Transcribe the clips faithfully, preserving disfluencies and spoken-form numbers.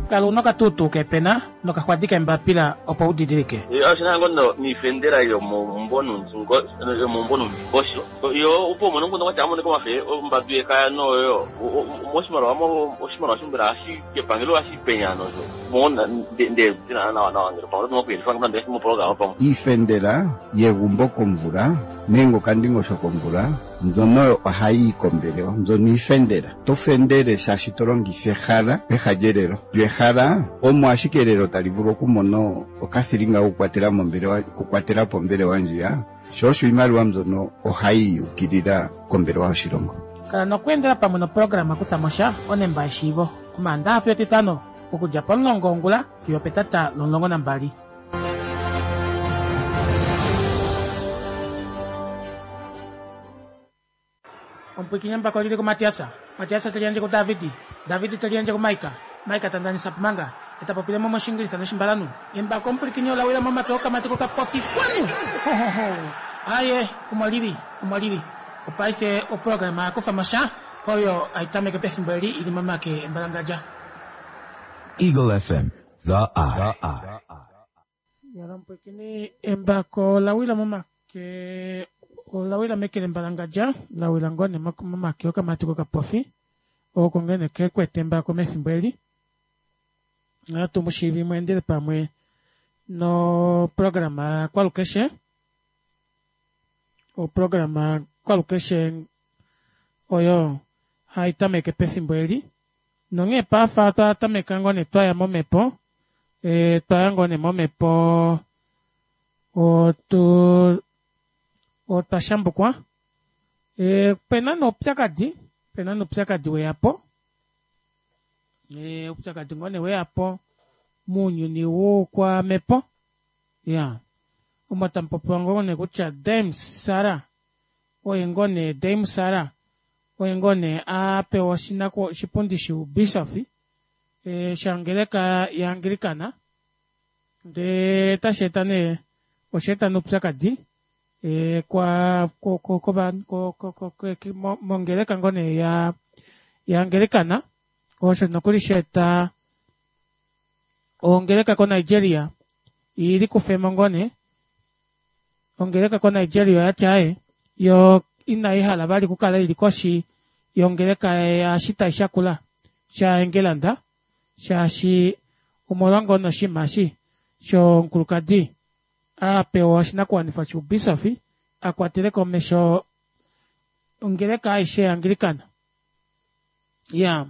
Kala una okatuutuu kepena nokaxwadi kembapila opo u didilike. Oshina ngono niifendela yomomumvo yomomumvo nomungosho yo opo umone nguno kwati amone komafe ombadu yekaya noyo moshimaliwa mo oshimaliwa shombela hashi kepangelo hashi penya nozo mona nde ndina nawa nawa ngele pamwe noku yelifa ngamba ndele mo programa pamwe Iifendela yegumbo komvula nenge okandingosho komvula mbyono ohayi yi kombelewa, mbyono iifendela. To fendele shaashi to longitha ehala peha lyelelo. Lyo ehala omo ashike elelo tali vulu okumona okathilinga kokukwatela mombelewa, okukwatela po ombelewa ndjiya, sho osho iimaliwa mbyono ohayi yukilila kombelewa yoshilongo. Kala nokweendela pamwe noprograma Kutha mo sha onemba yeshiivo Omaandaxa fiyo Etitano okudja pomulongo wongula fiyo opetata lomulongo nambali. Omupwiikini embako oli li kuMatias. Matias te liyandje kuDavid. David te liyandje kuMaika. Maika ta ndanisa Pumanga. E ta popile mo mOshiingilisa nOshimbalanhu. Embako omupwilikini ola wila momake okamati kokapofi. Xwanu! Ho-ho-ho! Aaye, omo li li. Omo li li. Opaife oprograma ya kufa mo sha, oyo hai tameke pefimbo eli i li momake embalangadja. Eagle F M, The Eye. Yala omupwilikini, embako ola wila momake, ola wila meke lembalangadja, la wila ngoo nee momake okamati kokapofi, oko ngene ke kwete embako mefimbo eli. Ohatu mu shiivi mu endele pamwe noprograma yakwalukeshe, oprograma yakwalukeshe oyo hai tameke pefimbo eli. Nonghee paife otwa tameka ngoo nee twaya momhepo, e, twaya ngoo nee momhepo, otu otwa shambukwa. E, pena noupyakadi, pena noupyakadi weyapo. E, oupyakadi ngoo nee weyapo mounyuni woukwamhepo. Ya. Omo tamu popiwa ngoo nee kutya Dame Sara, oye ngoo nee Dame Sara, oye ngoo nee a pewa oshinaku oshipundi shoubishofi e, shongeleka yaAnglikana. Ndee tashi eta nee, osha eta noupyakadi e, kwa ko, ko, ko, ko, ko, ko, ko, mo, mongeleka ngoo nee ya yaAnglikana. Osho nokuli sha eta ongeleka koNigeria ili kufemo ngoo nee. Ongeleka koNigeria oyati aaye yo inai hala vali okukala ili koshi yongeleka yashitai shakula shaEngelanda, shaashi omolwa ngoo noshinima eshi shomukulukadi a pewa oshinakuwanifwa shoubisofi a kwatele komesho ongeleka aishe yaAnglikana. Ya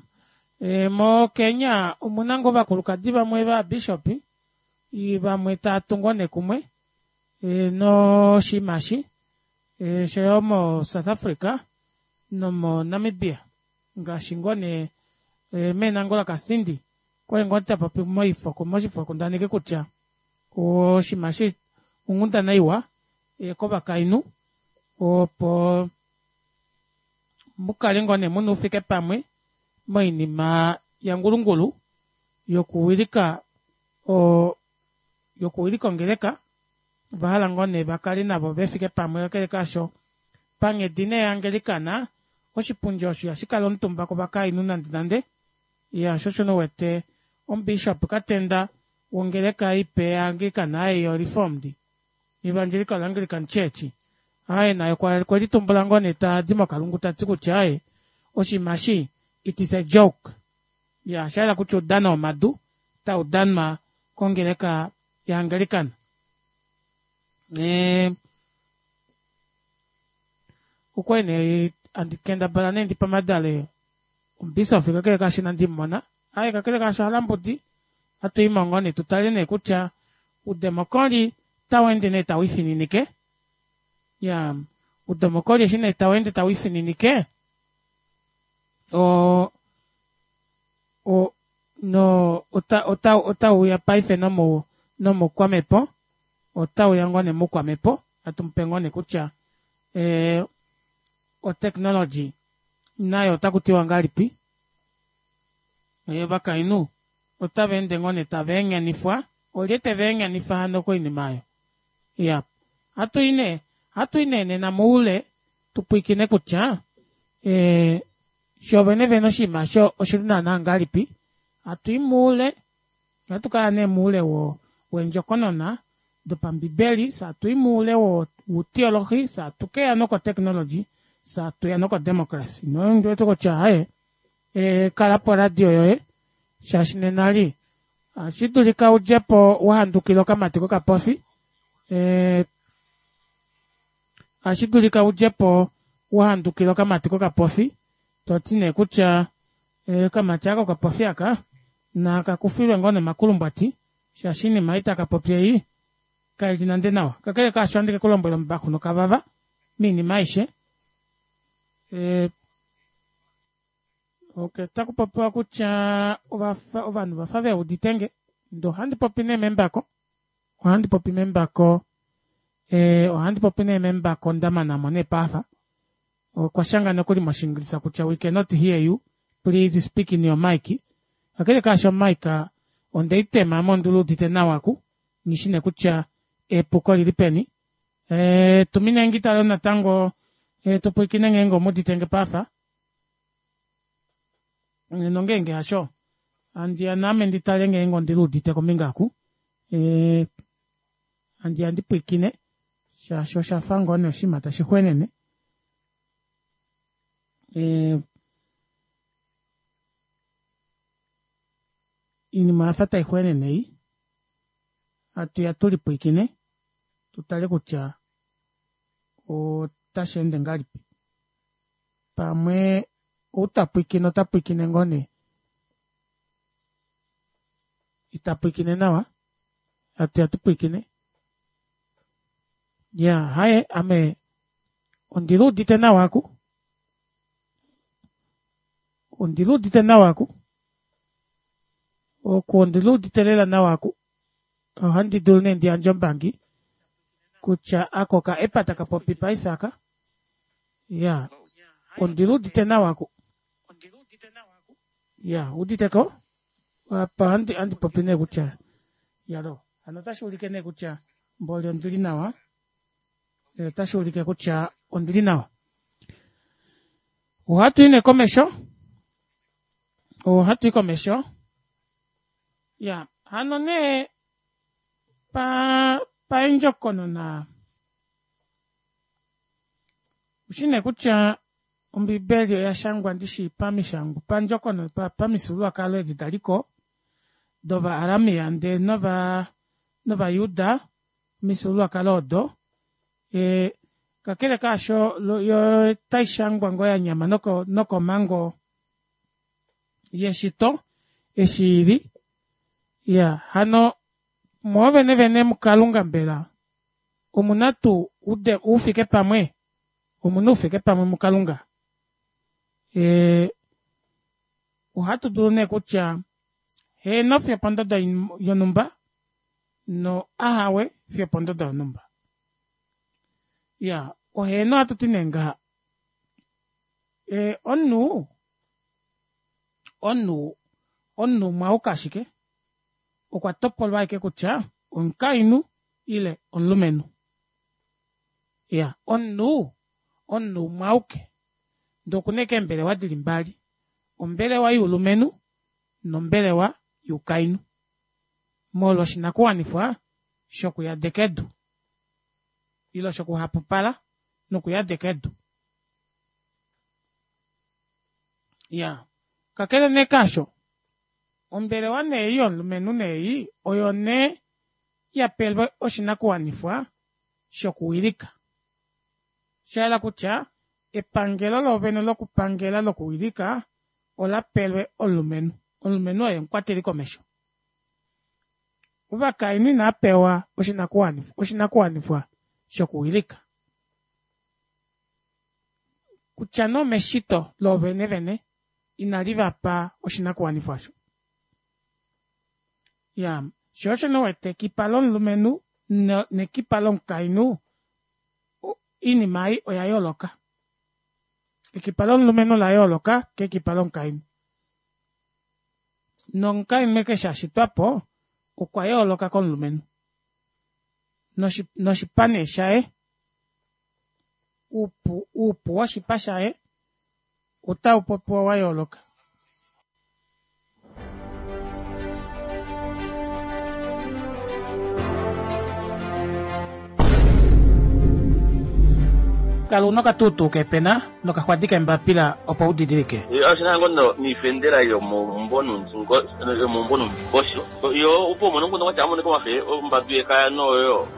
e, moKenya omuna ngoo ovakulukadi vamwe vabishopi vamwe tava tungu nee kumwe e, noshinima eshi e, oshoyo moSouth Africa nomoNamibia ngaashi ngoo nee e, meenangola Kathindi okwali ngoo tapopi moifo moshifokundaneki kutya oshinima eshi onghundana iwa e, kovakainhu opo mukale ngoo nee muna oufike pamwe moinima yangulungulu yokuwilika o yokuwilika ongeleka. Ova hala ngoo nee vakale navo vefike pamwe, kakele kaasho panghedi nee yaAnglikana oshipundi osho ihashi kala omutumba kovakainhu nande nande. Ya sho osho nouwete omubishop Katenda wongeleka ipe yaAnglikana ei yoReformed Evangelical Anglican Church, aye naye okwe litumbula ngoo nee tadi mokalungu tati kutya aye oshinima eshi it is a joke. Ya sha hala kutya oudano womadu tau danwa kongeleka yaAnglikana. E, okwali nee andi kendabala nee ndipamadale omubisofi kakele kaasho inandi mumona. Aye kakele kaasho halambudi hatu i mo ngoo nee tutale nee kutya udemokoli tau ende nee tau ifininike. Ya udemokoli eshi nee tau ende tau ifininike o o no ota ota otauya paife nomu nomukwamhepo, otauya ngoo nee mukwamhepo hatu mupe ngoo nee kutya e, otechnology nayo otaku tiwa ngahelipi. Ovakainhu otava ende ngoo nee tava enyanifwa, olye teva enyanifa hano koinima oyo. Ya hatu i nee hatu i nee nena moule tupwiikine kutya e, sho vene vene oshinima osho oshili naana ngahelipi. Hatu i moule Ohatu kaya nee moule wendjokonona dopambibeli, fyee hatui moule woutheology, fyee hatukeya noko technology, fyee hatuya noko democracy nondiwete kutya aaye kala poradio yoye shaashi nena eli ohashidulika udjepo wahandukila okamati kokapofi ee ohashidulika udjepo wahandukila okamati kokapofi toti nee kutya okamati aaka kokapofi aaka nakakufilwe ngoo nee omakulumbwati shaashi oinima ei takapopi ei kaili nande nawa. Kakele kaasho ohandi kekulombwela ombaxu nokavava moinima aishe ee okey otakupopiwa kutya ovanhu ovafa veuditenge ndee ohandi popi nee membako ohandi popi membako ee ohandi popi nee membako ndamanamo nee paife okwashanga nokuli moshingilisa kutya we cannot hear you please speak in your mic. Kakele kaasho o mic ondeitema ame ondiluudite nawa oku nghishi nee kutya epuko olilipeni ee tuminenge itale natango tupwiikine ngeenge omuuditenge paife nongenge hasho handiya naame nditale ngeenge ondiluudite kombinga oku ee handiya ndipwiikine shaashi oshafa ngoo nee oshinima tashi xwenene ee oinima oyafa taixwenene ei hatuya tulipwiikine tutale kutya otasheende ngahelipi pamwe ou tapwiikine ota pwiikine ngoo nee itapwiikine nawa hatuya tupwiikine iyaa aaye ame ondiluudite nawa aaku ondiluudite nawa aaku oku ondiluudite lela nawa aaku ohandi dulu nee ndiyandje oumbangi kutya aaka oka app takapopi paife aaka iyaa ondiluudite nawa aaku iyaa owuuditeko apa ohandi popi nee kutya iyaloo hano otashuulike nee kutya mboli ondili nawa otashuulike kutya ondili nawa. Ohatui nee komesho ohatui komesho iyaa hano nee paa pandjokonona oushi nee kutya ombibeli oyashangwa ndishi pamishangwa pandjokonona pamifyuululwakalo edi daliko dova aramia ndee nova novajuda omifyuululwakalo odo ee kakele kaasho yoo otaishangwa ngoo yanyama nokomango yeshito eshi ili iyaa hano mwoovene vene mukalunga mbela omuna tuu oufike pamwe omuna oufike pamwe mukalunga ee ohatu dulu nee kutya heeno fiyo opondodo yonumba no ahawe fiyo opondodo yonumba. Iyaa oheeno ohatuti nee ngaha ee omunhu omunhu omunhu umwe auke ashike okwa topolwa ashike kutya omukainhu ile omulumenhu iyaa omunhu omunhu umwe auke ndee okuna ashike eembelewa dili mbali ombelewa youlumenhu nombelewa youkainhu molwo oshinakuwanifwa shokuyadeka edu ile shokuhapupala nokuyadeka edu. Iyaa kakele nee kaasho ombelewa nee ei yomulumenhu nee oyo nee yapelwe oshinakuwanifwa shokuwilika shayela kutya epangelo loovene lokupangela lokuwilika olapelwe omulumenhu. Omulumenhu oye omukwateli komesho. Ovakainhu inaapewa oshinakuwanifwa oshinakuwanifwa shokuwilika kutya nee omeshito loovene vene inalivapa oshinakuwanifwa aasho. Iyaa shoo osho nee uwete ekipa lomulumenhu nekipa lomukainhu oinima ei oya yooloka. Ekipa lomulumenhu ola yooloka kekipa lomukainhu nomukainhu eshi ashitwapo okwa yooloka komulumenhu noshipa nee shaye oupu oupu woshipa shaye otaupopiwa wayooloka. Kala una okatuutuu keepena nokaxwadi keembapila opo udidilike. Oshina ngoo niifendela yomomumvo yomumvo nomundingosho yo opo umone omukundu kwatya amoneka omafe ombadu yekaya noyo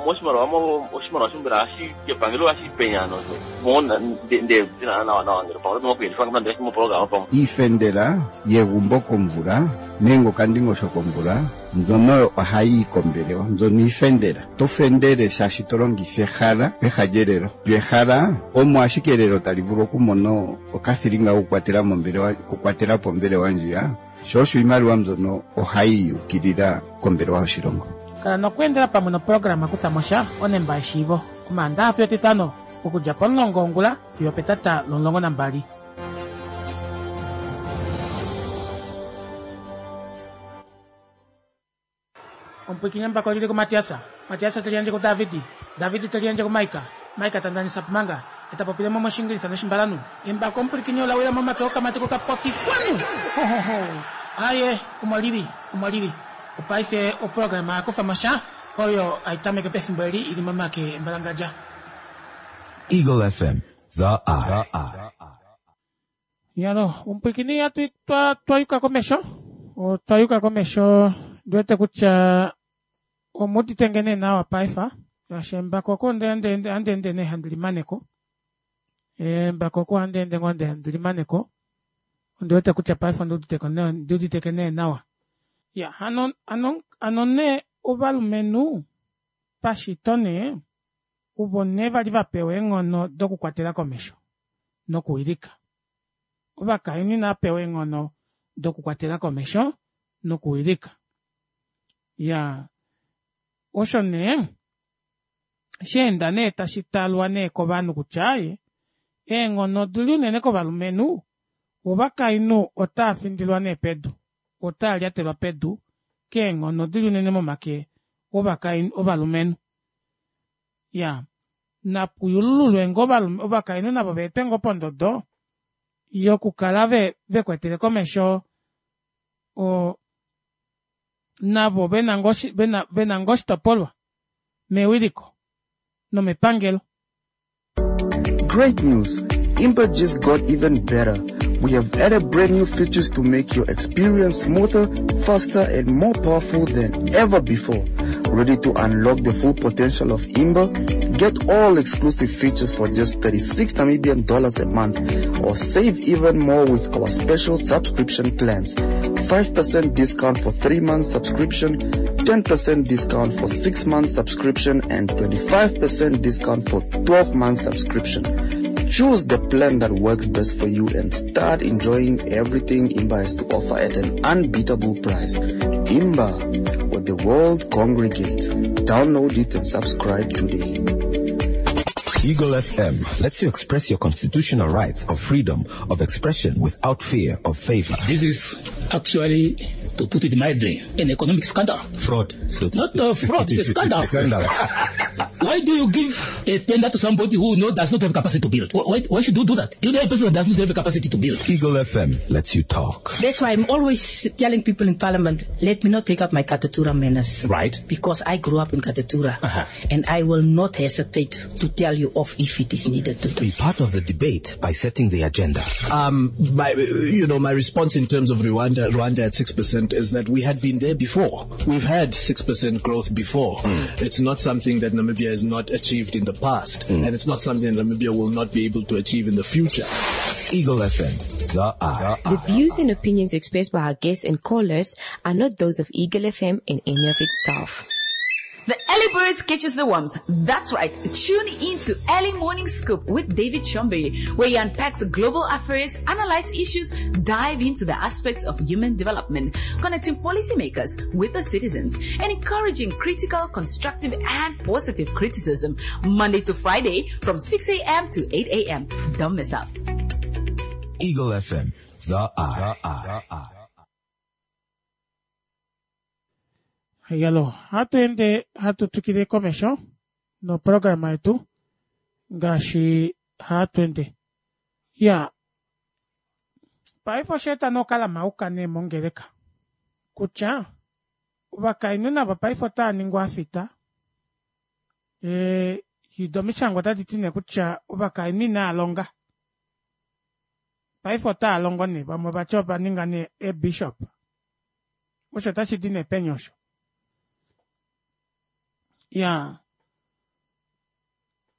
moshimaliwa oshimaliwa shombela hashi kepangelo hashi penya nozo mona nde nawa nawa ngele pamwe nokuyelifa nande moprograma pamwe iifendela yegumbo komvula nenge okandingosho komvula mbyono ohayi yi kombelewa mbyono iifendela to fendele shaashi to longitha ehala peha lyelelo lyo ehala omo ashike elelo tali vulu okumona okathilinga kokukwatela mombelewa kukwatela po ombelewa ndjiya sho osho iimaliwa mbyono ohayi yukilila kombelewa yoshilongo. Kala nokweendela pamwe noprograma kutha onemba yeshiivo omaandaha fiyo etitano okudja pomulongo wongula fiyo petata lomulongo nambali. Omupwikinye mbako lili ku Matiasa, Matiasa teliandje ku Davidi, Davidi teliandje ku Maika, Maika tandanisa pumanga, etapopile mo moshingilisa noshimbalanu. Embako omupwikinye olawila momake okamati kokapofi kwanu! Ho ho ho! Aye, omo lili, omo lili. Opaife oprograma yakufa mosha oyo aitameke pefimbo eli ili momake embalangadja. Eagle F M, The Eye. Yalo, omupwikini atu twa twayuka komesho. Otwayuka komesho ndiwete kutya omudite ngene nawa paifa. Yashembako ko ndende ndende ne handilimaneko. Embako ko ndende ngonde handilimaneko. Ndiwete kutya paifa ndudite ko ne ndudite kene nawa. Ya, ano ano ano ne ovalumenhu pashitone uvo ne vali vapewa eenghono dokukwatela komesho nokuwilika. Ovakainhu inapewa eenghono dokukwatela komesho nokuwilika. Ya, osho nee sheenda nee tashi talwa nee kovanhu kutya aye eenghono odili unene kovalumenhu, ovakainhu otaa findilwa nee pedu, otaa lyatelwa pedu keenghono odili unene momake ovakainhu ovalumenhu. Ya, napuyulululwe ngoo ovakainhu navo veetwe ngoo pondodo yokukala ve vekwetele komesho o navo vena ngoo vena vena ngoo oshitopolwa mewiliko nomepangelo. Great news! Imba just got even better. We have added brand new features to make your experience smoother, faster, and more powerful than ever before. Ready to unlock the full potential of Imba? Get all exclusive features for just thirty-six Namibian dollars a month, or save even more with our special subscription plans. five percent discount for three months subscription, ten percent discount for six months subscription, and twenty-five percent discount for twelve months subscription. Choose the plan that works best for you and start enjoying everything Imba has to offer at an unbeatable price. Imba, where the world congregates. Download it and subscribe today. Eagle F M lets you express your constitutional rights of freedom of expression without fear of favor. This is actually, to put it mildly, an economic scandal. Fraud. So Not a fraud, it's a scandal. Scandal. Why do you give a tender to somebody who no, does not have capacity to build? Why, why should you do that? You know a person that does not have the capacity to build. Eagle F M lets you talk. That's why I'm always telling people in Parliament, let me not take up my Katutura manners. Right. Because I grew up in Katutura. Uh-huh. And I will not hesitate to tell you off if it is needed to do. Be part of the debate by setting the agenda. Um, my, you know, my response in terms of Rwanda, Rwanda at six percent is that we had been there before. We've had six percent growth before. Mm. It's not something that Namibia has not achieved in the past, mm. and it's not something that Namibia will not be able to achieve in the future. Eagle F M, The Eye. The views and opinions expressed by our guests and callers are not those of Eagle F M and any of its staff. The early birds catches the worms. That's right. Tune in to Early Morning Scoop with David Chombe, where he unpacks global affairs, analyze issues, dive into the aspects of human development, connecting policymakers with the citizens, and encouraging critical, constructive, and positive criticism. Monday to Friday from six a.m. to eight a.m. Don't miss out. Eagle F M, The Eye. The Eye. Yalo, hatu ende hatu tukile komesho no programa yetu ngaashi hatu ende. Ya, paife osheeta nokala mauka ne mongeleka kutya ovakainhu navo paife otaa ningwa afita e, Doo omishangwa otadi ti nee kutya ovakainhu inaalonga paife otaalongo nee vamwe vati ovaninga nee eebishop osho otashidi nee peni osho iyaa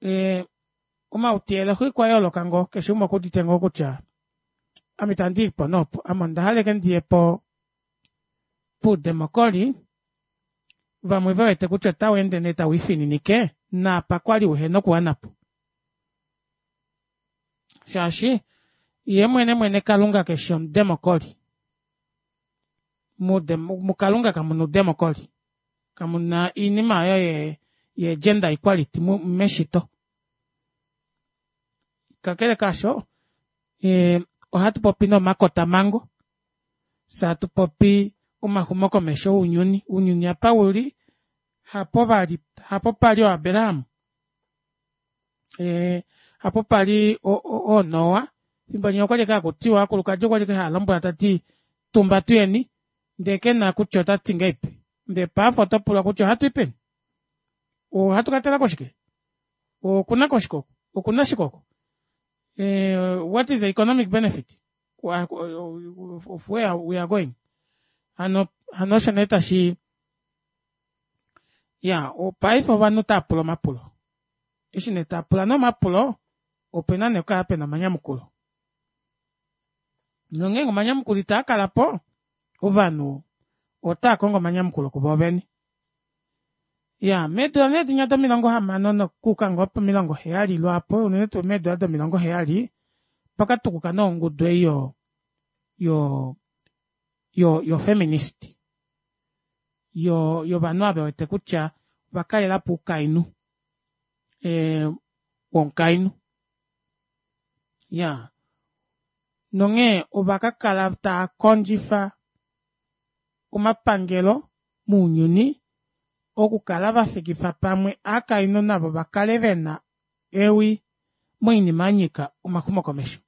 ee omauteyelo okwa yooloka ngoo keshe umwe okuudite ngoo kutya ame itandiipo nee opo ame ondahala ashike ndiye po poudemocry vamwe vewete kutya otaweende nee tawiifininike naapa kwali uhena okuwanapo shaashi yee mwene mwene kalunga keshi omudemocry mukalunga kamuna oudemocry kamuna oinima aayo ye gender equality meshito kakele kaasho ohatupopi nee omakotamango fyee hatupopi omaxumokomesho ounyuni ounyuni apa uli hapo vali hapo pali oo abraham ee hapo pali oo noa efimbo linya okwali ashike hakutiwa ovakulukadi okwali ashike haalombwelwa tati tumba tuyeni ndee kena kutya otati ngahelipi ndee paife otopulwa kutya ohatui peni ohatu katalako shike okunako shike oku okuna shike oku what is the economic benefit of where we are going hano hano osho nee tashi iyaa paife ovanhu otaapula omapulo eshi nee taapula nee omapulo opena nee okukala pena omanyamukulo nongeenge omanyamukulo itaakalapo ovanhu otaakongo omanyamukulo kuvoo vene iyaa meedula nee dinya domilongo hamano nokuuka ngoo pomilongo heyali lwaapo unene tuu meedula domilongo heyali opakatukuka nee ongudu ei yo yo yo feminist yo yovanhu ava vewete kutya ovakalelapo oukainhu ee womukainhu iyaa nonghee ovakakala taakondjifa omapangelo mounyuni okukala vafikifa pamwe ovakainhu navo vakale vena ewi moinima yanyika omaxumokomesho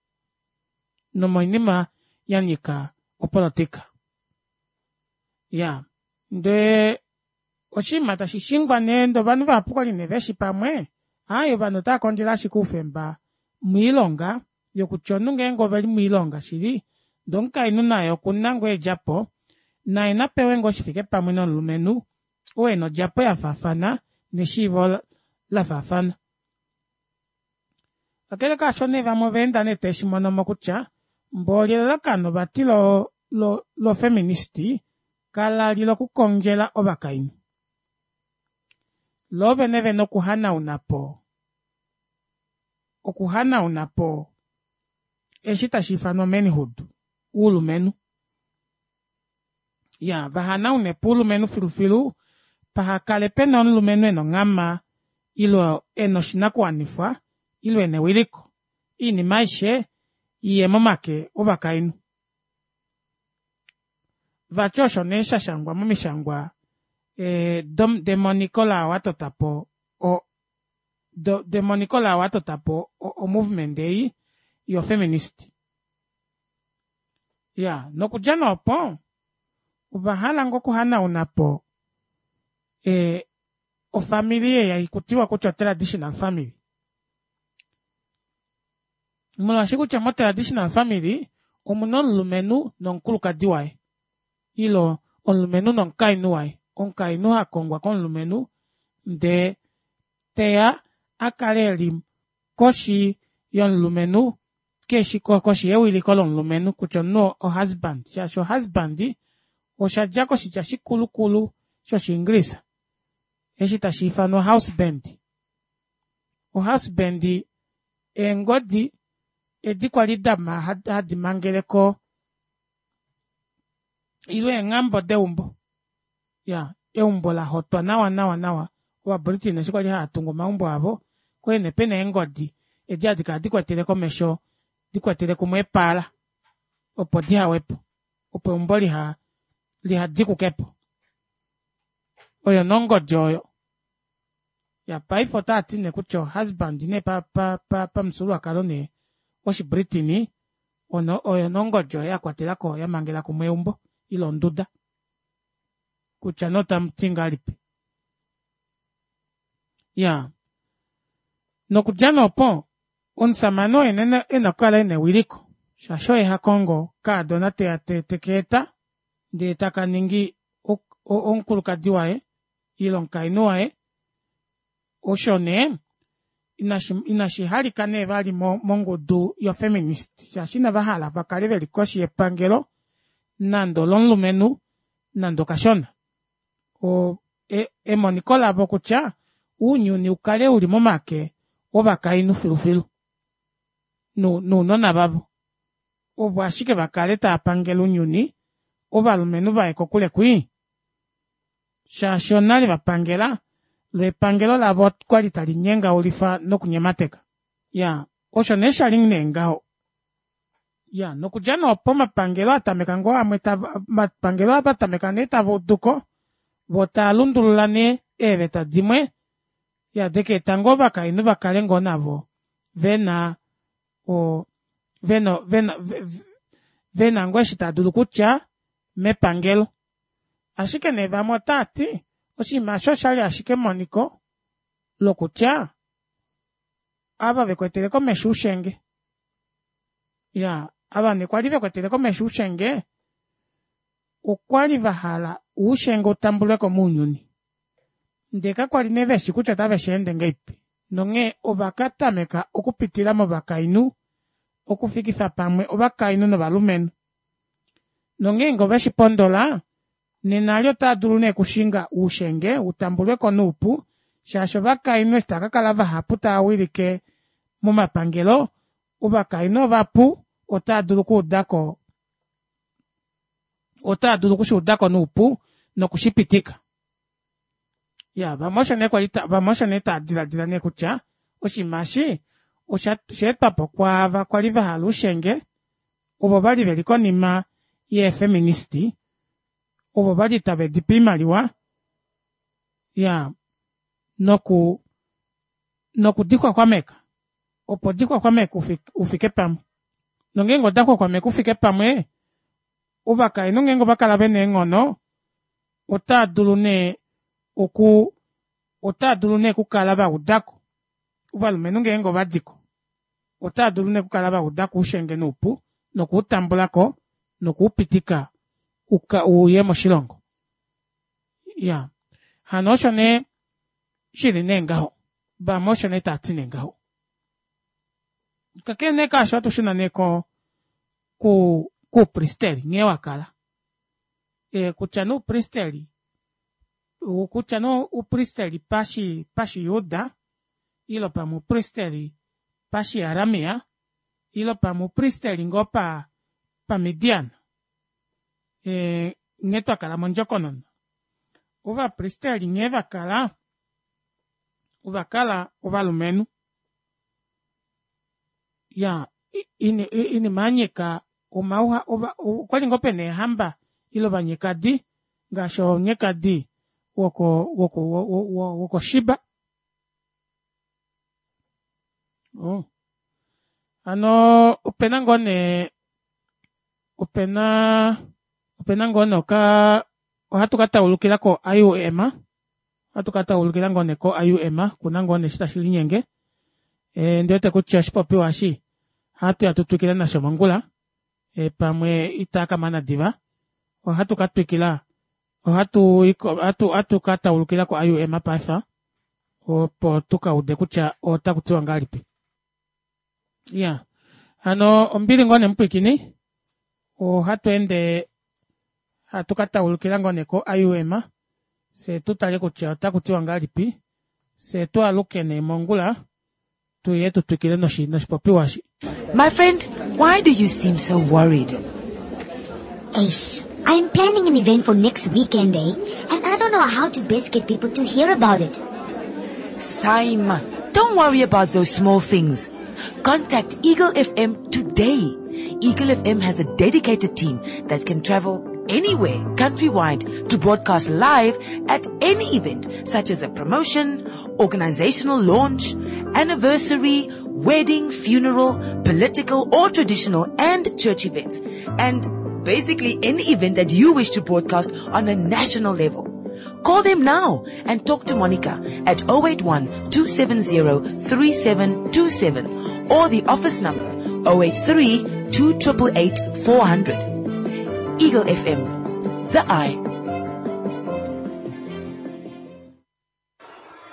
nomoinima yanyika opolitika iyaa ndee oshinima tashishingwa nee ndee ovanhu vahapu okwali nee veshi pamwe aaye ovanhu otaakondjele ashike oufemba moilonga yokutya omunhu ngeenge oveli moilonga shili ndee omukainhu naye okuna ngoo eedjapo naye napewe ngoo shifike pamwe nomulumenhu oo ena odjapo yafaafana neshiivo lafaafana kakele kaasho nee vamwe ovaenda nee taveshimonomo kutya mboli elalakano vati lo lo feminist kalali lokukondjela ovakainhu loo vene vene okuhanaunapo okuhanaunapo eshi tashiifanwa manhood oulumenhu iyaa vahanaunepo oulumenhu filufilu pahakale pena omulumenhu ena onghama ile ena oshinakuwanifwa ile ena ewiliko oinima aishe iye momake ovakainhu vati osho nee shashangwa momishangwa ee demoniko laao atotapo o demoniko laao atotapo o movement ei yo feminist iyaa nokudja nee opo ovahala ngoo okuhanaunapo ee ofamili ei hakutiwa kutya o traditional family molwaashi kutya mo traditional family omuna omulumenhu nomukulukadi waye ile omulumenhu nomukainhu waye omukainhu hakongwa komulumenhu ndee teya akale eli koshi yomulumenhu koshi yewiliko lomulumenhu kutya omunhu o husband shaashi o husband oshadja koshitya shikulukulu shoshiingilisa eshi tashiifanwa houseband o houseband eengodi edi kwali hadi mangeleko ile eenghambo deumbo iyaa eumbo lahotwa nawa nawa nawa ova britain eshi kwali haatungu omaumbo avo okwali nee pena eengodi edi hadikala dikwetele komesho dikwetele kumwe eepala opo dihawepo opo eumbo liha lihadikukepo oyo nee ongodi oyo iya paife otaati nee kutya o husband nee pamufyuululwakalo nee woshi britain oyo nee ongodi oyo yakwatelako yamangela kumwe eumbo ile onduda kutya nee otamuti ngahelipi iyaa Nokudja nee opo omusamane oye ena okukala ena ewiliko shaashi oye hakongo kaadona teya tekeeta ndee taka ningi omukulukadi waye ile omukainhu waye. Osho nee inashi halika nee vali mongudu yo feminist shaashi ina vahala vakale veli koshi yepangelo nande olomulumenhu nande okashona. Oo emoniko lavo kutya ounyuni ukale uli momake ovakainhu filufilu nounona vavo ovo ashike vakale taapangele ounyuni, ovalumenhu vaye kokule kwii shaashi onale vapangela loo epangelo lavo okwali tali nyengaulifa noku nyemateka. Iyaa osho nee shali nee ngaho. Iyaa nokudja nee opo omapangelo atameka ngoo amwe omapangelo ovatameka nee tavauduko voo taalundulula nee eeveta dimwe iya dakaeta ngoo ovakainhu vakale ngoo navo vena oo vena vena vena ngoo eshi taadulu okutya mepangelo. Ashike nee vamwe otaati oshinima aasho oshali ashike emoniko lokutya ava vekwetele komesho oushenge iyaa ava nee kwali vekwetele komesho oushenge okwali vahala oushenge utambulweko mounyuni ndee kakwali nee veshi kutya ota vesheende ngahelipi nonghee ovakatameka okupitila movakainhu okufikifa pamwe ovakainhu novalumenhu nongeenge oveshipondola nena eli otaadulu nee okushinga oushenge utambulweko noupu shaashi ovakainhu eshi taakakala vahapu taawilike momapangelo ovakainhu ovapu otaadulu okuudako otaadulu okushuudako noupu nokushipitika. Iyaa vamwe osho nee kwali vamwe osho nee taadilaadila nee kutya oshinima eshi oshaetwapo kwaava kwali vahala oushenge ovo vali veli konima yee feminist ovo vali tave dipe oimaliwa iyaa noku nokudixwaxwameka opo dixwaxwameke oufike pamwe nongeenge oda xwaxwameke oufike pamwe ovakainhu ngeenge ovakala vena eenghono otaadulu nee oku otaadulu nee okukala vaudako ovalumenhu ngeenge ovadiko otaadulu nee okukala vaudako oushenge noupu nokuutambulako nokuupitika uye moshilongo. Iyaa hano osho nee shili nee ngaho vamwe osho nee taati nee ngaho. Kakele nee kaasho ohatushuna nee ko kuupristeli nghee wakala ee kutya nee oupristeli kutya nee oupristeli pashi pashijuda ile pamwe oupristeli pashi aramia ile pamwe oupristeli ngoo pa pamidian ee nghee twakala mondjokonona ovapristeli nghee vakala ovakala ovalumenhu iyaa oinima yanyika omauha okwali ngoo pena eehamba ile ovanyekadi ngaashi omunyekadi woko woko woko Sheba. Oh hano opena ngoo nee opena opena ngoo nee oka ohatu kataulukila ko I U M ohatu kataulukila ngoo nee ko I U M kuna ngoo nee eshi tashi linyenge e, ondiwete kutya oshipopiwa eshi ohatuya tutwikile nasho mongula e, pamwe itakamana diva ohatu katwikila ohatu ohatu kataulukila ko I U M paife opo tukaude kutya otakutiwa ngahelipi. Iya hano ombili ngoo nee mupwiikini ohatu ende hatu kataulukila ngoo nee ko I U M fye tutale kutya otakutiwa ngahelipi fye twaaluke nee mongula tuye tutwikile noshipopiwa eshi. My friend, why do you seem so worried? Ace, I'm planning an event for next weekend, eh? And I don't know how to best get people to hear about it. Saima, don't worry about those small things. Contact Eagle F M today. Eagle F M has a dedicated team that can travel anywhere countrywide to broadcast live at any event, such as a promotion, organizational launch, anniversary, wedding, funeral, political or traditional and church events, and basically any event that you wish to broadcast on a national level. Call them now and talk to Monica at oh eight one, two seven zero, three seven two seven or the office number oh eight three, two triple eight, four hundred. Eagle F M, the eye.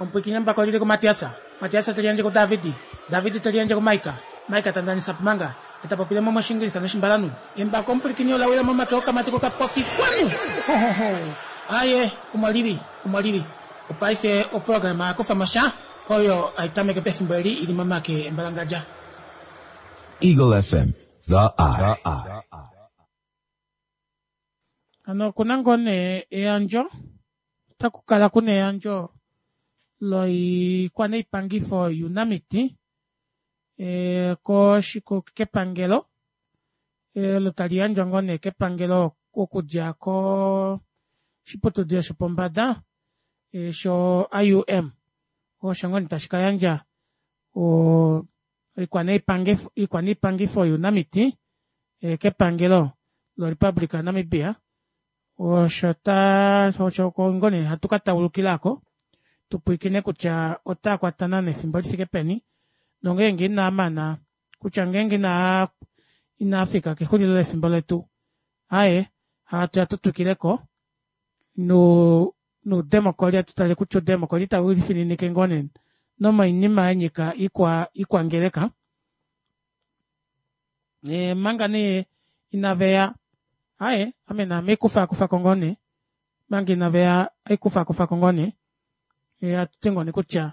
Omupwiikine mbako lili ku Matiasa. Matiasa teliandje ku Davidi. Davidi teliandje ku Maika. Maika tandanisa pumanga. Etapopile mo moshingilisa noshimbalanu. Embako omupwiikine olawila momake okamati kokapofi kwanu. Ho, ho, ho. Aye, omwalili, omwalili. Opaife oprograma yakufa mosha oyo aitameke pefimbo eli ili momake embalangadja. Eagle F M, the eye. Ano kuna ngoo nee eyandjo, otaku kala kuna eyandjo loikwaneipangifo yuunamiti, eh, koshiko kepangelo, eh, olo tali yandjwa ngoo nee kepangelo okudja ko shiputudilo shopombada, eh, sho I U M. Osho ngoo nee tashi ka yandja, o, oikwaneipangifo, oikwaneipangifo yuunamiti, eh, kepangelo lo Republic of Namibia. Osho ta, osho ngoo nee hatu ka taulukilako, tupwikine kutya ota kwatana nefimbo lifike peni, nongeenge ina mana, kutya ngeenge ina, ina fika kexulilo lefimbo letu, aye, hatu ya tutwikileko, nu, nuudemokoli, atu tale kutya uudemokoli itau lifininike ngoo nee nomoinima ya nyika ikwa, ikwangeleka. E, manga nee inaveya, aye, ame naame ikufa ko ngoo nee, manga inaveya ikufa kufa ko ngoo nee, e, atu ti ngoo nee kutya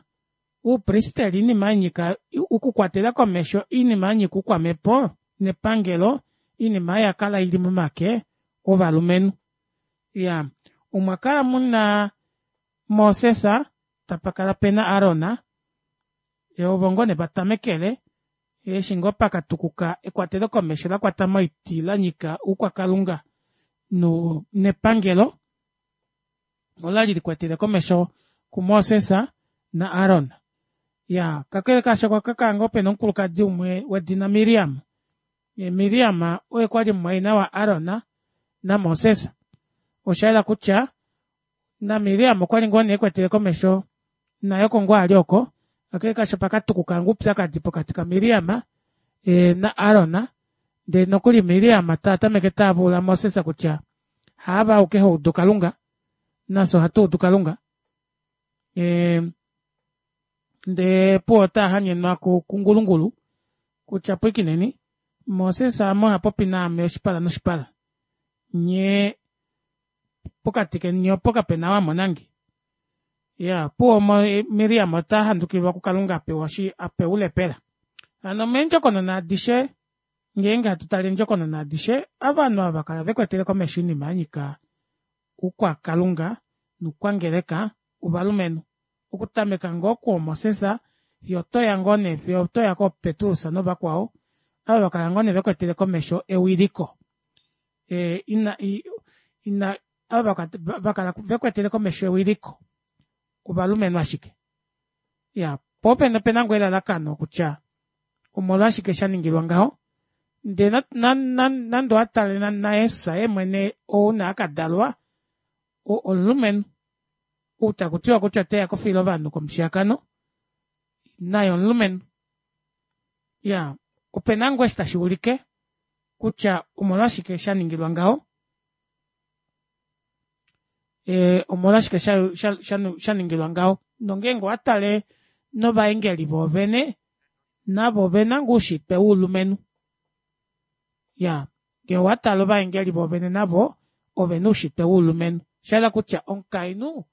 uupristeli iinima ya nyika okukwatela komesho iinima ya nyika uukwamepo nepangelo, iinima ya kala ili momake ovalumenhu. Ya, omwa kala muna Moses, tapakala pena Aaron, e, ovo ngoo nee vatamekele, eshi ngoo pakatukuka ekwatelo komesho la kwata moiti la nyika uukwakalunga no, nepangelo, ola li likwatele komesho kuMoses na Aaron. Ya, kakele kaasho kwa kaka ngoo pena omukulukadi umwe wedina Miriam. E, Miriam oye kwali mumwaina wa Aaron na Moses. Osha yela kutya na Miriam okwali ngoo nee ekwatele komesho naye oko ngoo ali oko. Kakele kaasho pakatukuka ngoo oupyakadi pokati ka Miriam, e, na Aaron. Ndele nokuli Miriam ta tameke tavula Moses kutya haava auke ho udu Kalunga, nafye ohatu udu Kalunga. E, ndee puwo ota hanyenwa ku, kungulungulu kutya pwikineni Moses ame oha popi naame oshipala noshipala, nye pokati keni opo kapena wa monange. Ya, puwo mo-, Miriam ota handukilwa kuKalunga apewa shi, apewa ulepela. Hano meendjokonona adishe, ngeenge hatu tale endjokonona adishe, ovanhu ava kala vekwetele komesho oinima ya nyika uukwakalunga noukwangeleka ovalumenhu. Okutameka ngoo kuo Moses, fiyo otoya ngoo nee, fiyo otoya ko Petrus novakwao, ava vakala ngoo nee vekwetele komesho ewiliko. E, ina, i, ina, ava vaka-, vakala vekwetele komesho ewiliko ovalumenhu ashike. Ya, po opena, opena ngoo elalakano kutya omolwashike sha ningilwa ngaho. Ndele na, na, na, nande owa tale na, na Jesus ye mwene ou na akadalwa, o-, omulumenhu. Ou taku tiwa kutya oteya kofila ovanhu komushiyakano, naye omulumenhu. Ya, opena ngoo eshi tashi ulike kutya omolwashike sha ningilwa ngaho. E, omolwashike sha, sha, sha, sha ningilwa ngaho. Nongeenge owa tale novaengeli voovene, navo ovena ngoo oushitwe woulumenhu. Ya, ngee owa tale ovaengeli voovene navo ovena oushitwe woulumenhu. Sha yela kutya omukainhu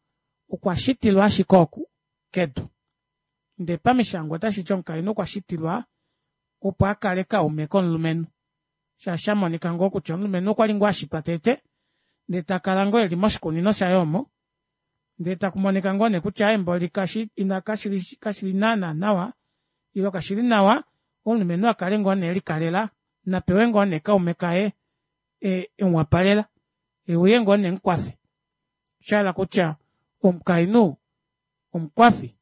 okwa shitilwa ashike oku kedu. Ndele pamishangwa otashi ti omukainhu okwa shitilwa opo a kale kaume komulumenhu. Sha sha monika ngoo kutya omulumenhu okwa li ngoo a shitwa tete, ndele ta kala ngoo eli moshikunino shaye omo, ndele taku monika ngoo nee kutya emboli kashi, ina, kashi li, kashi li naana nawa, ilo kashi li nawa, omulumenhu a kale ngoo nee elikalela, na pewe ngoo nee kaume kaye, e, e mu wapalela, e uye ngoo nee mukwafe. Sha hala kutya omukainhu omukwafi.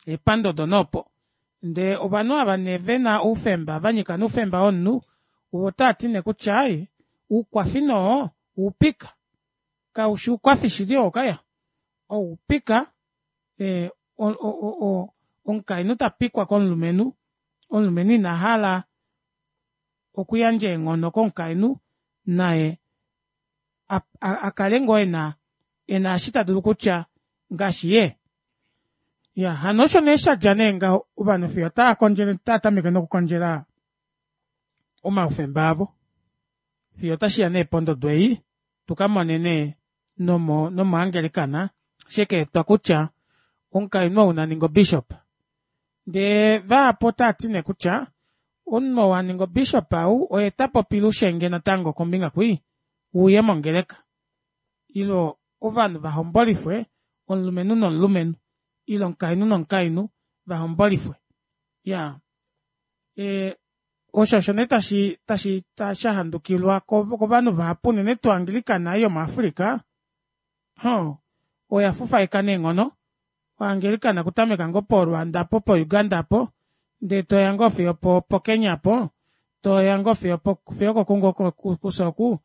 Epandodo nopo. Ndee ovanhu ava nee vena oufemba, va nyika noufemba womunhu, ovo otava ti nee kutya, ai, oukwafi noo oupika. Kaushi oukwafi shili oo kaya oupika ee o- o omukainhu tapikwa komulumenhu omulumenhu inahala okuyandja eenghono komukainhu naye akale ngoo ena ena eshi tadulu kutya ngaashi yee. Iyaa hano osho nee shadja nee ngaho ovanhu fiyo otaakondjele otaatameke nokukondjela omaufemba avo fiyo otashiya nee pondodo ei tukamone nee nomo nomo angelicana shekaetwa kutya omukainhu ou naninge o bishop ndee vahapu otaati nee kutya omunhu ou aninga o bishop ou oye tapopile oushenge natango kombinga kwii wuuye mongeleka ile ovanhu vahombolifwe omulumenhu nomulumenhu ile omukainhu nomukainhu vahombolifwe iyaa ee osho osho nee tashi tashi shahandukilwa kovanhu vahapu unene tuu o anglicana ei yomu africa hoo oya fufaika neenghono o anglicana okutameka ngoo po rwanda aapo po uganda aapo ndee toya ngoo fiyo opo kenya aapo toya ngoo fiyo okoku ngoo kufye oku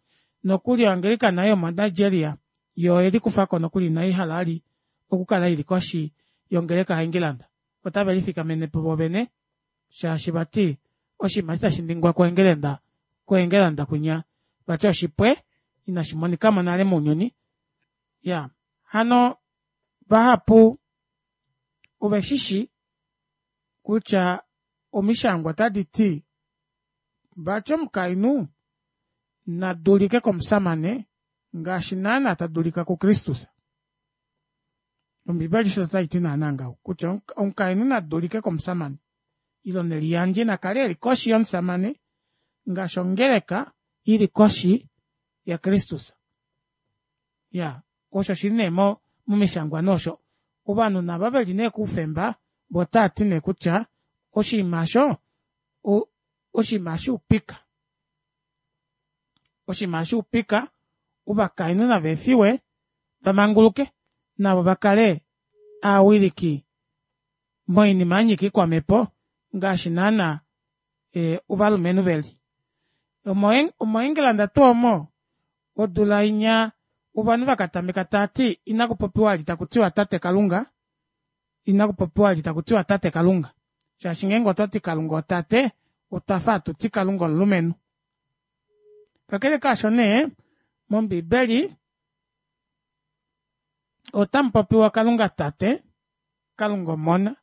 nokuli o anglicana ei yomo nigeria yoo oyelikufako nokuli ina ihala vali okukala ili koshi yongeleka ya england otave lifikamenepo voovene shaashi vati oshinima eshi tashiningwa ko england ko england kwinya vati oshipwe ina shimonikamo nale mounyuni iyaa hano vahapu oveshishi kutya omishangwa otaditi vati omukainhu nadulike komushamane ngaashi naana tadulika ku kristus ombibeli osho taiti naana ngaho kutya omukainhu nadulike komushamane ile neliyandje nakale eli koshi yomushamane ngaashi ongeleka ili koshi yakristus iyaa osho shili nee momishangwa nee osho ovanhu naava veli nee koufemba voo otaati nee kutya oshinima aasho oshinima shoupika oshinima shoupika ovakainhu navaefiwe vamanguluke navo vakale aawiliki moinima yanyika oikwamepo ngaashi naana ovalumenhu veli omo england tuu omo odula inya ovanhu vakatameka taati inakupopiwa vali takutiwa tate kalunga inakupopiwa vali takutiwa tate kalunga shaashi ngeenge otwati kalunga otate otwafa hatuti kalunga omulumenhu kakele kaasho nee mombibeli otamupopiwa kalunga tate kalunga omona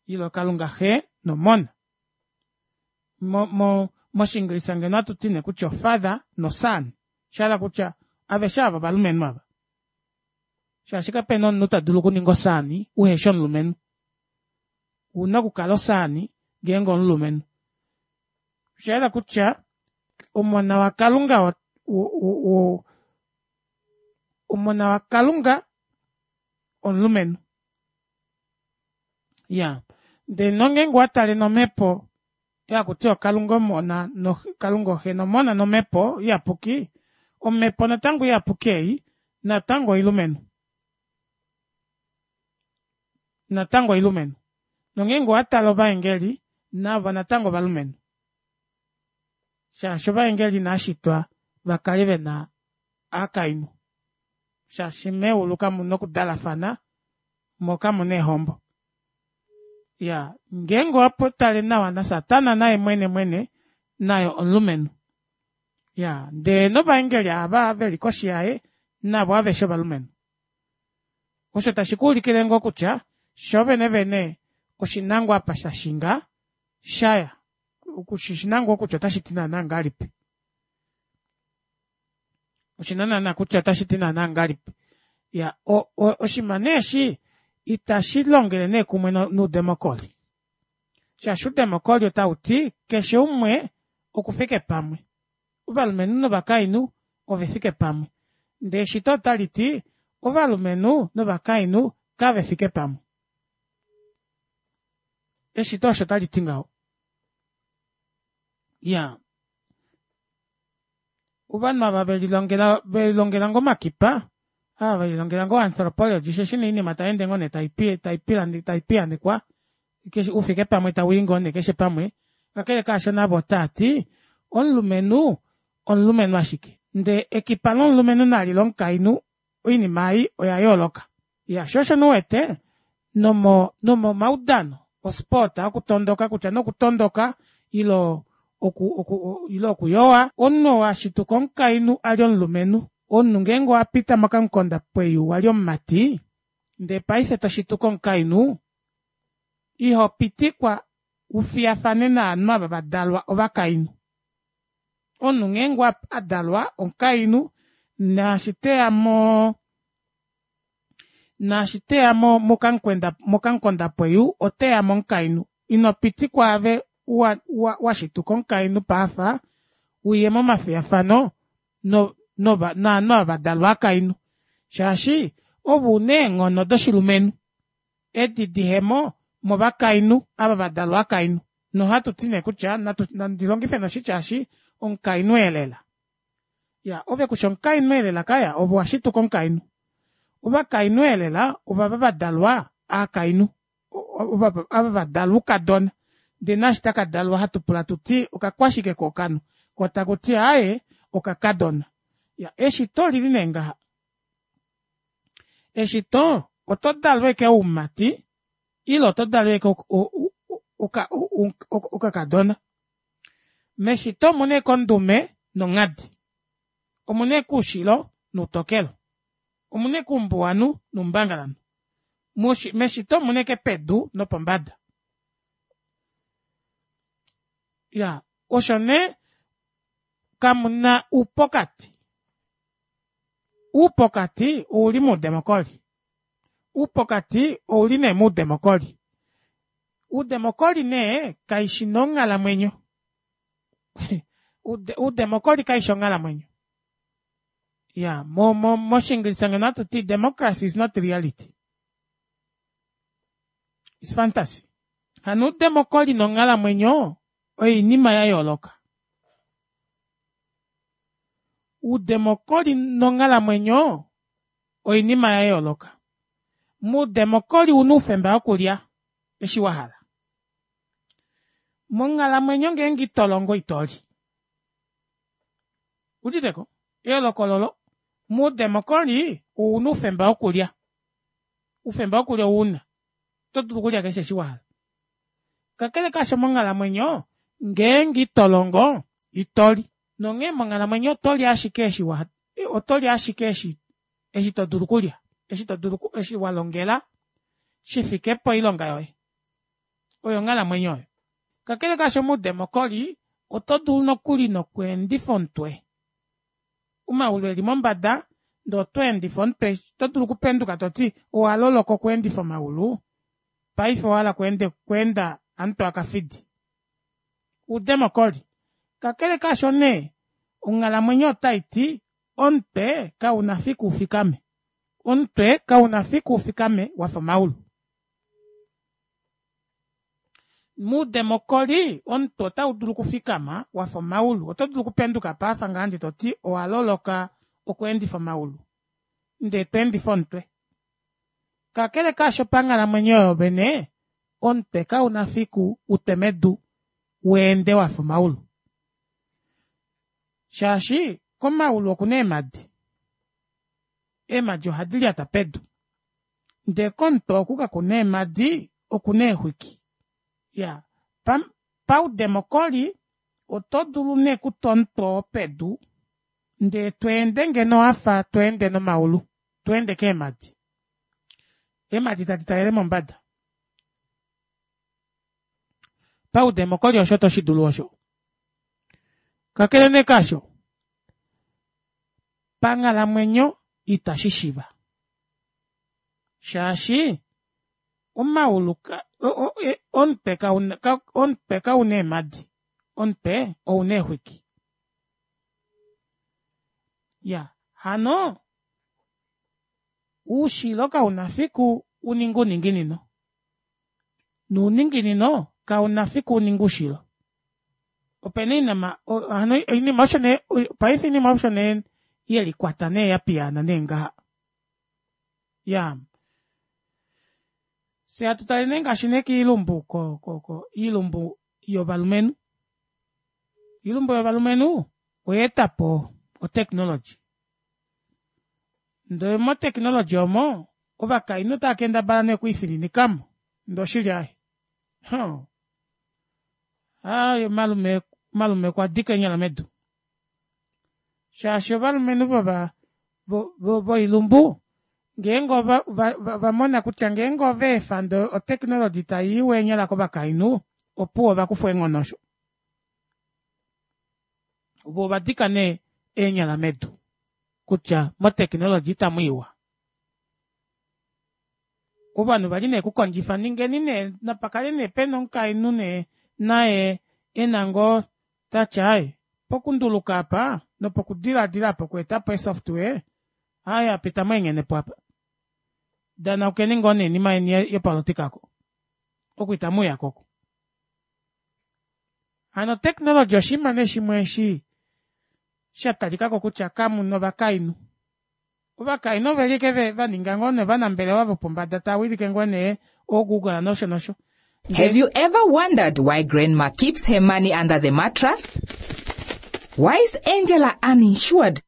ile kalunga xee nomona mo mo moshingilisa ngeno ohatuti nee kutya o father no son oshahala kutya aveshe aava ovalumenhu ava shaashi kapena omunhu tadulu okuninga o son uhefi omulumenhu ouna okukala o son ngeenge omulumenhu oshayela kutya omona wakalunga wo omona wakalunga omulumenhu iyaa ndee nongeenge owatale nomepo hakutiwa kalunga omona kalunga oxe nomona nomepo iyapuki omepo natango iyapuki ei natango oilumenhu natango oilumenhu nongeenge owatale ovaengeli navo natango ovalumenhu shaashi ovaengeli inavashitwa vakale vena aakainhu shaashi meulu kamuna okudalafana moo kamuna eehombo iyaa ngeenge owatale nawa nasatana naye mwene mwene naye omulumenhu iyaa ndee novaengeli aava veli koshi yaye navo aveshe ovalumenhu osho tashi kuulikile ngoo kutya shoovene vene oshina ngoo apa shashinga shaya oshina ngoo kutya otashiti naana ngahelipi oshina naana kutya otashiti naana ngahelipi iyaa oshinima nee eshi ita shilongele nee kumwe noudemocry shaashi oudemocry otauti keshe umwe okufike pamwe ovalumenhu novakainhu ovefike pamwe ndee eshito otaliti ovalumenhu novakainhu kavefike pamwe eshito osho taliti ngaho iyaa ovanhu ava velilongela velilongela ngoo omakipa ava velilongela ngoo anthropology shaashi nee oinima tayeende ngoo nee taipiyaanekwa oufike pamwe tawii ngoo nee keshe pamwe kakele kaasho navo otaati omulumenhu omulumenhu ashike Ndee ekipa lomulumenhu nali lomukainhu oinima ei oya yooloka. Iya shoo osho nee uwete nomo nomomaudano osport okutondoka kutya nee okutondoka ile oku oku ile okuyowa omunhu oo ashituka omukainhu ali omulumenhu omunhu ngeenge owapita mokamukonda pweyu wali omumati ndee paife toshituka omukainhu ihopitikwa ufiyafane novanhu ava vadalwa ovakainhu. Omunhu ngeenge adalwa omukainhu naashi teya moo naashi teya mokamukwenda mokamukondapweyu oteyamo omukainhu inopitikwa aave washituka omukainhu paife uye momafiyafano no novanhu ava vadalwa ovakainhu shaashi ove una eenghono doshilumenhu edi dihemo movakainhu ava vadalwa ovakainhu nohatuti nee kutya nandi longife nee oshitya eshi omukainhu elela. Iyaa ove kushi omukainhu elela kaya ove owashituka omukainhu. Ovakainhu elela ovava vadalwa aakainhu ava vadalwa oukadona ndee naashi takadalwa hatupula hatuti okakwashike koo okanhu koo takuti aaye okakadona. Iyaa eshito olili nee ngaha eshito oto dalwa ashike oumati ile otodalwa ashike okakadona. Meshito omuna ashike ondume nonghadi omuna ashike oushilo noutokelo omuna ashike oumbuwanhu noumbangalanhu meshito omuna ashike pedu nopombada. Iyaa osho nee kamuna oupokati, oupokati ouli moudemocry oupokati ouli nee moudemocry oudemocry nee kaishi nee onghalamwenyo oudemocry kaifi onghalamwenyo iyaa mo- mo moshingilisa ngeno ohatuti democracy is not reality it's fantasy. Hano oudemocry nonghalamwenyo oinima yayooloka. Oudemocry nonghalamwenyo oinima yayooloka. Moudemocry ouna oufemba wokulya eshi wahala. Monghalamwenyo ngeenge itolongo itoli. Owuuditeko? Eyooloko ololo moudemocry ouna oufemba wokulya oufemba wokulya ouna oto dulu okulya keshe eshi wahala. Kakele kaasho monghalamwenyo ngeenge itolongo itoli nonghee monghalamwenyo otoli ashike eshi otoli ashike eshi eshi todulu okulya eshi todulu eshi walongela shifike poilonga yoye oyo onghalamwenyo oyo. Kakele kaasho moudemocry oto dulu nokuli nokweendifa omutwe omaulu eli mombada ndee otweendifa omutwe oto dulu okupenduka toti owaloloka okweendifa omaulu paife owahala okweenda hamutwe wakafidi. Oudemocry kakele kaasho nee onghalamwenyo otaiti omutwe kauna fiku ufikame omutwe kauna fiku ufikame wafa omaulu. Moudemocry omutwe otaudulu okufikama wafa omaulu oto dulu okupenduka paife ngaha ndee toti owaloloka okweendifa omaulu ndee twendifa omutwe. Kakele kaasho panghalamwenyo yoovene omutwe kauna fiku utwe medu weende wafa omaulu shaashi komaulu okuna eemadi, eemadi ohadi lyata pedu ndee komutwe oku kakuna eemadi okuna eexwiki. Iyaa paudemocry oto dulu nee okutwa omutwe oo pedu ndee tweende ngeno wafa tweende nomaulu tweende keemadi eemadi tadi talele mombada. Paudemocry osho oto shidulu osho. Kakele nee kaasho panghalamwenyo ita shishiiva shaashi omaulu omutwe kauna omutwe kauna eemadi omutwe ouna eexwiki. Iyaa hano oushilo kauna fiku uninge ouninginino nouninginino kauna fiku uninge oushilo. Opena oinima hano oinima osho nee paife oinima osho nee yelikwata nee yapiyaana nee ngaha. Iyaa fyee hatu tale nee ngaashi nee koilumbu ko- ko oilumbu yovalumenhu. Oilumbu yovalumenhu oyaetapo Otechnology. Ndee motechnology omo ovakainhu otava kendabala nee okwiifininikamo ndee oshili aaye hoo aaye malume malume okwadika eenyala medu shaashi ovalumenhu vova voilumbu ngeenge ovamona kutya ngeenge ovaefa ndee o technology taiiwa eenyala kovakainhu opuwo ovakufwa eenghono osho. Voo ovadika nee eenyala medu kutya mo technology itamwiiwa. Ovanhu vali nee kukondjifa ningeni nee napakale nee pena omukainhu nee naye ena ngoo tati aaye pokunduluka aapa nopokudilaadila aapa okweetapo ee software aaye apa itamweengenepo aapa danaukeni ngoo nee noinima yeni yopolotika oko oku itamuuyako oku. Hano otechnology oshinima nee shimwe eshi shatalikako kutya kamuna ovakainhu. Ovakainhu oveli ashike vaninga ngoo nee ovanambelewa vopombada tawilike ngoo nee oo google nosho nosho. Have you ever wondered why grandma keeps her money under the mattress? Why is Angela uninsured?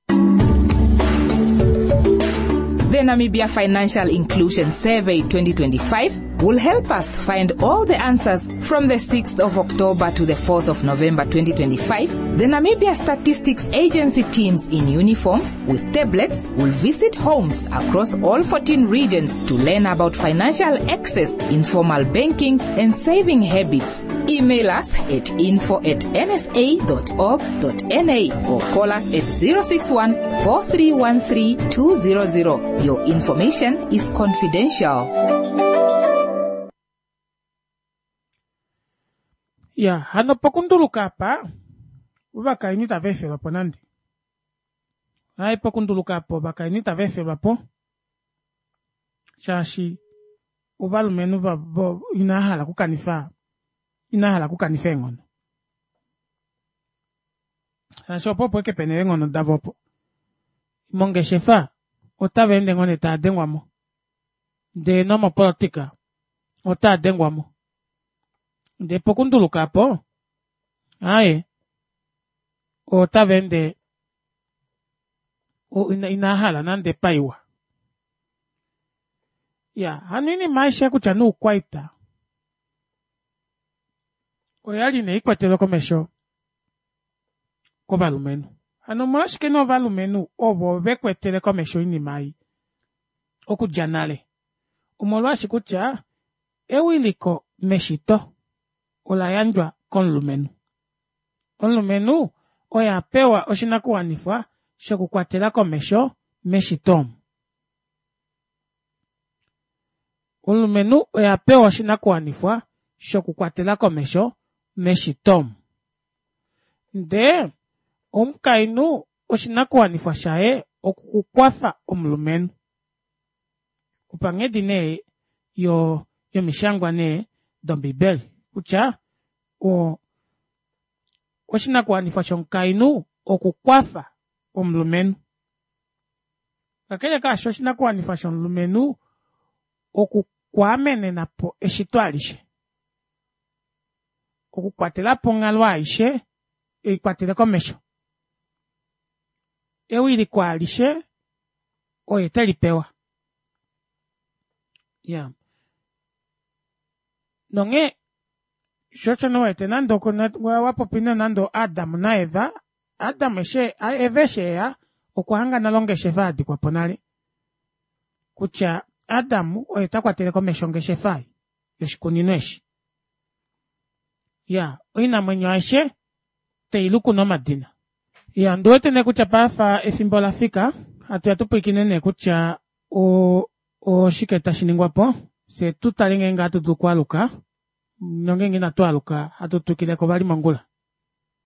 The Namibia Financial Inclusion Survey twenty twenty-five will help us find all the answers from the sixth of October to the fourth of November twenty twenty-five. The Namibia Statistics Agency teams in uniforms with tablets will visit homes across all fourteen regions to learn about financial access, informal banking and saving habits. Email us at info at n s a dot org dot n a or call us at zero six one, four three one three two zero zero. Your information is confidential. Ya, hano pokunduluka apa, ovakainhu itava efelwa po nande. Hai pokunduluka apa ovakainhu itava efelwa po, shaashi ovalumenhu vo inahala okukanifa, inahala okukanifa eenghono. Shaashi opo opo eke pena eenghono davo opo. Mongeshefa otava ende ngoo nee tava dengwa mo. Ndee nomopolitika otava dengwa mo. Ndee pokunduluka apo, aaye, otava ende inahala nande paiwa. Ya, hano oinima aishe kutya noukwaita oyali nee ikwatelwe komesho kovalumenhu. Hano omolwashike nee ovalumenhu ovo vekwetele komesho oinima ei okudja nale? Omolwashi kutya ewiliko meshito ola yandjwa komulumenhu. Omulumenhu oye apewa oshinakuwanifwa shokukwatela komesho meshito omu. Omulumenhu oye apewa oshinakuwanifwa shokukwatela komesho meshito omu. Ndee omukainhu oshinakuwanifwa shaye okukwafa omulumenhu. Opanghedi nee yo yomishangwa nee dombibeli kutya o oshinakuwanifwa shomukainhu okukwafa omulumenhu. Kakele kaasho oshinakuwanifwa shomulumenhu okukwaamenena po eshito alishe. Okukwatela po onghalo aishe eikwatele komesho. Ewiliko alishe oye telipewa. Ya. Nonghee shosho nowete nande wapopi nande Adam naEva, Adam eshi Eva eshi eya okwa hanga nale ongeshefa yadikwa po nale. Kutya Adam oye takwatele komesho ongeshefa yoshikunino eshi. Ya, oinamwenyo aishe teiluku nomadina. Ya, ndiwete nee kutya paife efimbo lafika, hatu ya tupwilikine nee kutya o oshike tashi ningwa po, fye tutale ngeenge ohatu dulu okwaluka, nongeenge inatu aluka hatu twikileko vali mongula.